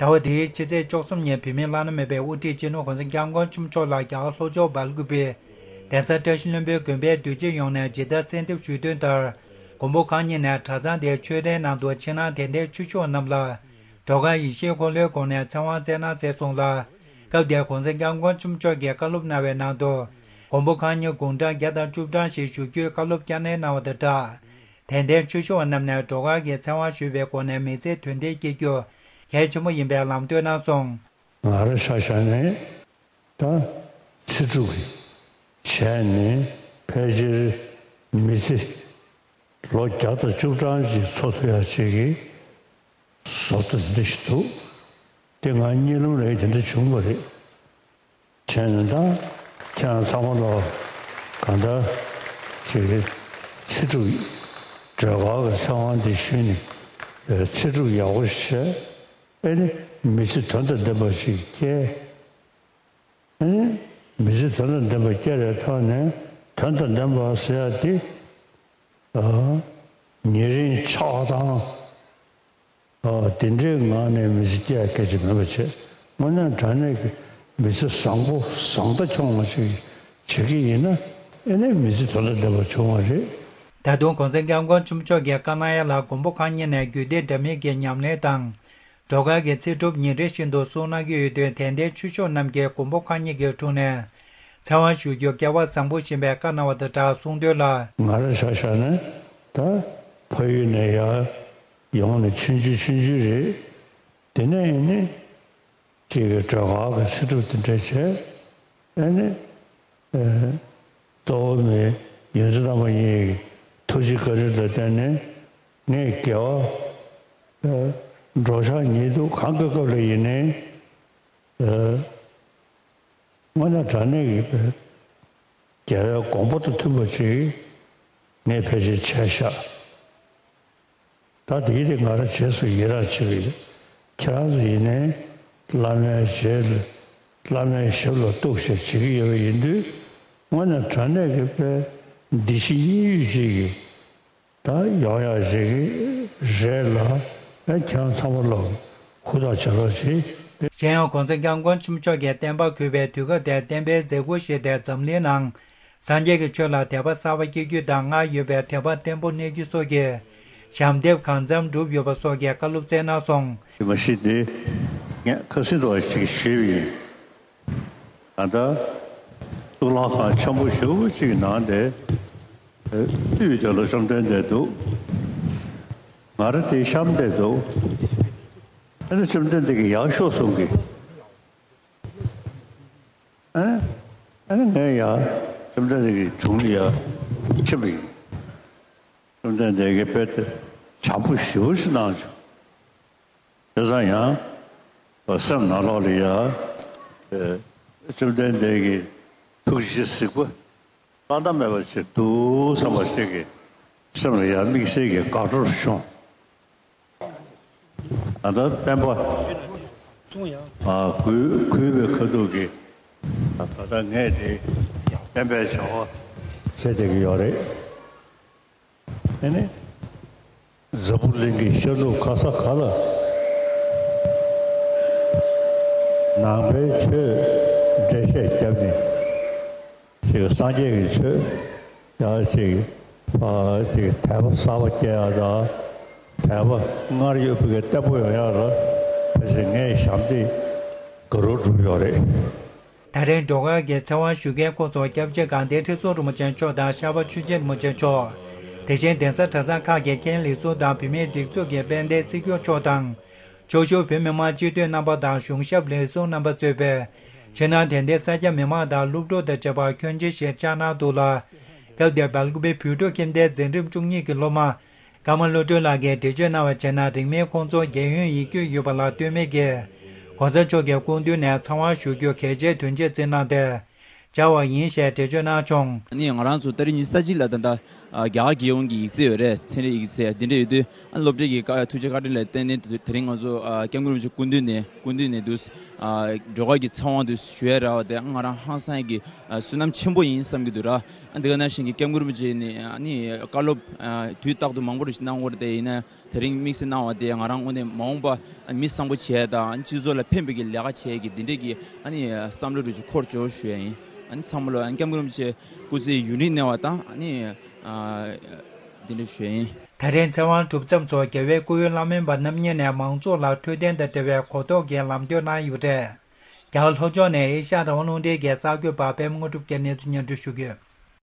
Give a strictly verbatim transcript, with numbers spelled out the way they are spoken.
ཟླ་བ་འདིའི་ཕྱི་ཚེས་བཅུ་གསུམ་ཉིན་བོད་མིའི་བླ་ན་མེད་པའི་དབུ་ཁྲིད་སྤྱི་ནོར་༧གོང་ས་༧སྐྱབས་མགོན་ཆེན་པོ་མཆོག་ལ་རྒྱ་གར་ལྷོ་ཕྱོགས་སྦེལ་ཀུ་པེ་གདན་ས་བཀྲ་ཤིས་ལྷུན་པོའི་དགོན་པའི་འདུས་སྤྱི་ཡོངས་ནས་ཇི་ལྟར་གསོལ་འདེབས་ཞུས་དོན་ལྟར། མགོན་པོ་གང་ཉིད་ནས་གྲྭ་ཚང་དེའི་ཆོས་རའི་ནང་དུ་ཕྱི་ནང་དད་ལྡན་ཆོས་ཞུ་བ་རྣམས་ལ་སྒྲོལ་དཀར་ཡེ་ཤེས་འཁོར་ལོའི་སྒོ་ནས་ཚེ་དབང་སྩལ་གནང་མཛད་སོང་ལ། སྐབས་དེར་༧གོང་ས་༧སྐྱབས་མགོན་ཆེན་པོ་མཆོག་གིས་བཀའ་སློབ་གནང་བའི་ནང་དུ། མགོན་པོ་གང་ཉིད་དགུང་གྲངས་བརྒྱ་དང་བཅུ་གྲངས་ཤིག་བཞུགས་རྒྱུའི་བཀའ་སློབ་བསྐྱར་ནན་གནང་བ་དང་སྦྲགས། དད་ལྡན་ཆོས་ཞུ་བ་རྣམས་ནས་སྒྲོལ་དཀར་གྱི་ཚེ་དབང་ཞུས་པའི་སྒོ་ནས་མི་ཚེ་དོན་འཕེལ་སྐྱེལ་རྒྱུ་གལ་ཆེན་པོ་ཡིན་པའི་ལམ་སྟོན་གནང་སོང་། ང་རང་ཆ་བཞག་ནས་ད་ཚེ་སྒྲུབ་ཀྱི་བྱས་ནས་ཕལ་ཆེར་མི་ཚེ་ལོ་བརྒྱ་དང་བཅུ་གྲངས་ཅིག་འཚོ་ཐུབ་ཡག་ཅིག་གི་བཟོ་ལྟ་འདི་ཞིག་འདུག་དེ་ང་གཉིད་ལམ་ལས་དེ་འདྲ་བྱུང་བ་རེད། བྱས་ནས་ད་ཁྱེད་རང་ཚང་མ་ལ་གང་ལྟར་ཅིག་ཚེ་སྒྲུབ་སྒྲོལ་དཀར་གྱི་ཚེ་དབང་འདི་ཞུས་ནས་ཚེ་སྒྲུབ་ཡག་པོ་ཞིག་བྱས། ཨེ་ནི་མི་ཚེ་དོན་དང་ལྡན་པ་ཞིག་སྐྱེལ། ཨེ་ནི་མི་ཚེ་དོན་དང་ལྡན་པ་སྐྱེལ་བའི་ཐོག་ནས་དོན་དང་ལྡན་པ་ཟེར་ཡ་དེ་ཨ་ཉེ་རིང་ཆགས་སྡང་ཨ་དེ་འདྲའི་ངང་ནས་མི་ཚེ་སྐྱེལ་ཡ་སྐད་ཆ་མིན་པ་བྱས། དངོས་གནས་དྲང་གནས་ཀྱི་མི་ཚེ་བཟང་པོ་བཟང་ལྟ་འཁྱོངས་པ་ཞིག་བྱེད་ཀྱི་ཡིན་ན་ཨེ་ནི་མི་ཚེ་དོན་དང་ལྡན་པ་བྱུང་བ་རེད། ད་དུང་གོང་ས་༧སྐྱབས་མགོན་ཆེན་པོ་མཆོག་གིས་བཀའ་གནང་ཡ་ལ་མགོན་པོ་གང་ཉིད་ནས་རྒྱུད་སྡེ་འདྲ་མིན་གྱི་ཉམས་ལེན་དང་། སྒྲོལ་དཀར་གྱི་ཚེ་སྒྲུབ་ཉིན་རེ་བཞིན་དུ་གསུང་གནང་གི་ཡོད་དུས་དད་ལྡན་ཆོས་ཞུ་བ་རྣམས་ཀྱིས་མགོན་པོ་གང་ཉིད་ཀྱི་དྲུང་ནས་ཚེ་དབང་ཞུ་རྒྱུ་སྐལ་བ་བཟང་པོ་ཡིན་པའི་བཀའ་གནང་བ་དང་སྦྲགས་གསུང་དོན་ལ། ང་རང་ཆ་བཞག་ནས་ད་ཕ་ཡུལ་ནས་ཡར་ཡོང་ནས་ཆུང་ཆུང་ཆུང་ཆུང་རེད། དེ་ནས་ཡིན་ནི་ཅིག་གི་སྒྲོལ་དཀར་གྱི་ཚེ་སྒྲུབ་དེ་འདྲ་བྱས། ཨེ་ནི། ཨེ། གཙོ་བོ་མི་ཡོངས་འཛིན་རྣམ་པ་གཉིས་ཀྱི་ཐུགས་རྗེ་བཀའ་དྲིན་ལ་བརྟེན་ནས་ངས་དགེ་བ་ཨེ་འགྲོ་འཆག་ཉལ་འདུག་གང་གི་སྐབས་ལ་ཡིན་ནའི་ཨེ་དངོས་གནས་དྲང་གནས་ཀྱི་དགེ་བའི་དགོངས་པ་དང་མཐུན་པ་ཅིག་ངས་ཕལ་ཆེར་བྱས་ཤག་ད་དེའི་རིགས་ང་རང་རྗེས་སུ་ཡི་རང་བྱེད་ཀྱི་ཡོད། ཁྱེད་རང་ཚོ་ཡིན་ནའི་བླ་མའི་རྗེས་ལ་བླ་མའི་ཞབས་ལ་གཏུགས་བྱས་བྱེད་ཀྱི་ཡོད་པ་ཡིན་དུས་དངོས་གནས་དྲང་གནས་ཀྱི་དཔེ་འདི་ཕྱི་གཉིས་ཡོད་ཅིག་གི་ད་ཡོང་ཡག་ཅིག་གི་རེད་ལ་ཨེ་ཁྱེད་རང་ཚང་མ་ལ་ཧུར་ཐག་བྱེད་རོགས་གྱིས། གཞན་ཡང་གོང་ས་སྐྱབས་མགོན་ཆེན་པོ་མཆོག་གིས་བསྟན་པ་གུས་པའི་དུས་སྐབས་དེར་བསྟན་པའི་མཛད་སྒོ་ཞིག་སྟེ་འཛམ་གླིང་ནང་། སངས་རྒྱས་ཀྱི་ཆོས་ལ་དད་པ་གསར་པ་སྐྱེ་རྒྱུ་དང་སྔར་ཡོད་པའི་དད་པ་བརྟན་པོ་གནས་རྒྱུ་སོགས་ཀྱི་ཞབས་འདེགས་གང་འཚམ་བསྒྲུབས་ཡོད་པ་སོགས་ཀྱི་བཀའ་སློབ་སྩལ་གནང་སོང་། དེ་མ་གཞི་འདི་ངས་ཁ་སང་དུ་ཞིག་ཞུས་པ་ཡིན། ད་ལྟ་གཙུག་ལག་ཁང་ཆེན་པོ་ཞེ་པོ་ཅིག་གི་ནང་དེ་དབུས་དེ་ལ་བཅོམ་ལྡན་འདས་འདུག་ང་རང་དེའི་གཤམ་དེ་འདུག་ཨ་ནི་བཅོམ་ལྡན་འདས་ཀྱིས་ཡར་ཤོག་གསུང་གི་ཨ་ནི་ཨ་ནི་ངས་ཡར་བཅོམ་ལྡན་འདས་ཀྱི་དྲུང་ལ་ཡར་ཕྱིན་པ་ཡིན། བཅོམ་ལྡན་འདས་ཀྱིས་དཔེ་དེ་བྱམས་པོ་ཞེ་པོ་ཞིག་གནང་བྱུང་། དེ་ཙང་ཡང་སེམས་ནང་ལོགས་ལ་ཡར་བཅོམ་ལྡན་འདས་ཀྱི་ཐུགས་རྗེ་གཟིགས་པ་བླ་ན་མེད་པ་ཞིག་འདུག་བསམ་པ་ཞིག་གི་སེམས་ལ་ཡང་དམིགས་བསལ་གྱི་དགའ་སྤྲོ་བྱུང་། ད་ལྟ་བསྟན་པ་ཨ་གུས་གུས་པའི་ཁ་ཐུག་གིས་ད་ལྟ་ངས་དེ་བསྟན་པའི་བྱ་བ་བྱེད་བསྡད་ཀྱི་ཡོད་རེད། ཨེ་ནི། འཛམ་བུ་གླིང་གི་ཤར་ནུབ་ག་ས་ག་ལ་ནང་པའི་ཆོས་འགྲེལ་བཤད་བརྒྱབ་ནས་ཅིག་སངས་རྒྱས་ཀྱི་ཆོས་ཡང་ཅིག་ཨ་ཅིག་དད་པ་གསར་པ་སྐྱེ་ཡག་དང་དད་པ་སྔར་ཡོད་པའི་བརྟན་པོ་ཡོང་ཡག་ལ་ཕལ་ཆེར་ངས་ཞབས་འདེགས་དགའ་རབ་བསྒྲུབས་ཡོད་རེད། ད་རེས་སྒྲོལ་དཀར་གྱི་ཚེ་དབང་ཞུ་མཁན་ཁོངས་སུ་སྐྱབས་རྗེ་དགའ་ལྡན་ཁྲི་ཟུར་རིན་པོ་ཆེ་མཆོག་དང་ཤར་པ་ཆོས་རྗེ་རིན་པོ་ཆེ་མཆོག་དེ་བཞིན་གདན་ས་གྲྭ་ཚང་ཁག་གི་མཁན་ལས་ཟུར་དང་བུད་མེད་སྒྲིག་འཛུགས་ཀྱི་དཔལ་ལྡན་སྲིད་སྐྱོང་མཆོག་དང་། ཕྱོགས་བཞུགས་བོད་མི་མང་སྤྱི་འཐུས་རྣམ་པ་དང་གཞུང་ཞབས་ལས་ཟུར་རྣམ་པ་གཙོས་པའི་ཕྱི་ནང་དད་ལྡན་ས་སྐྱ་མི་མང་དང་སློབ་ཕྲུག་དང་བཅས་པ་ཁྱོན་ཆེ་ཞིག་བཅར་གནང་འདུག་ལ། སྐབས་དེར་སྦེལ་ཀུ་པེ་བོད་ཕྲུག་ཁྱིམ་སྡེའི་འཛིན་རིམ་བཅུ་གཉིས་ཀྱི་སློབ་མ། ཀརྨ་བློ་གྲོས་ལགས་ཀྱིས་འགྲེལ་བརྗོད་གནང་བར་བྱས་ན། རིང་མིན་ཁོང་ཚོ་རྒྱལ་ཡོངས་ཡིག་རྒྱུགས་ཡོད་པ་ལ་ལྟོས་མེད་ཀྱིས། ༸གོང་ས་མཆོག་གི་སྐུ་མདུན་ནས་ཚེ་དབང་ཞུ་རྒྱུ་གལ་ཆེའི་དོན་ཆེད་བརྩིས་གནང་སྟེ། བཅར་བ་ཡིན་ཞེས་འགྲེལ་བརྗོད་གནང་བྱུང་། ནི་ང་རང་ཚོ་ཏ་རིག་ཉི་ཤུ་རྩ་གཅིག་ལ་ད་ལྟ་ ཨ། རྒྱ་གར་རྒྱལ་ཡོངས་ཀྱི་ཡིག་ཚད་ཡོད་རེད། ཚན་རིག་ཡིག་ཚད་འདི་འདྲ་ཡོད་དུས། ཨ། སློབ་གྲྭའི་གི་བཀའ་ཐུགས་རྗེ་བཀའ་དྲིན་ལ་བརྟེན་ནས་དེ་རིང་ང་ཚོ། ཨ། སྐྱབས་མགོན་རིན་པོ་ཆེ་སྐུ་མདུན་ནས། སྐུ་མདུན་ནས་འདུག་ཨ། སྒྲོལ་དཀར་གྱི་ཚེ་དབང་དུ་ཞུ་ཡ་རག་པ་དེ་ང་རང་ཧང་སང་གི། ཨ། བསོད་ནམས་ཆེན་པོ་ཡིན་བསམ་གྱི་འདུག་ར། ཨ། འདི་ག་ནང་བཞིན་གྱི་སྐྱབས་མགོན་རིན་པོ་ཆེ་ནས། ཨ་ནི་བཀའ་སློབ། ཨ། དུས་རྟག་ཏུ་མང་པོ་རེ་ཞིག་གནང་ཡོད་རེད། དེ་ཡིན་ན། དེ་རིང་དམིགས་བསལ་གནང་བ་དེ་ང་རང་ངོས་ནས་མ་འོངས་པ་མི་བཟང་པོ་བྱས་དང་། སྤྱི་ཚོགས་ལ་ཕན་པའི་གི་ལས་ཀ་བྱས་ཀྱི་འདི་འདྲས་ཀྱི། ཨ་ནི་བསམ་བློ་རུ་ཅིག་འཁོར་ཆོག་ཞུ་ཡ་ཡིན། ཨ་ནི་ཚང་མ་ལ། ཨ་ནི་སྐྱབས་མགོན་རིན་པོ་ཆེ་སྐུ་ཚེ་ཡུན་རིང་གནས་པ་དང་། ཨ་ནི། ཨ། འདི་འདྲ་ཞུ་ཡ་ཡིན། དེ་རིང་ཚེ་དབང་གྲུབ་མཚམས་སུ་རྒྱལ་བའི་སྐུའི་བླ་སྨན་པ་རྣམ་གཉིས་ནས་མང་ཚོགས་ལ་འཕྲོད་བསྟེན་དང་འབྲེལ་བའི་གོ་རྟོགས་ཀྱི་ལམ་སྟོན་གནང་ཡོད་པ་རེད། རྒྱ་གར་ལྷོ་ཕྱོགས་ནས་ཨེ་ཤ་ཡ་དང་དབང་ལུང་འདྲེན་གྱི་གསར་འགོད་པ་པད་མ་དངོས་གྲུབ་ཀྱིས་གནས་ཚུལ་སྙན་སྒྲོན་ཞུ་གི་ཡོད།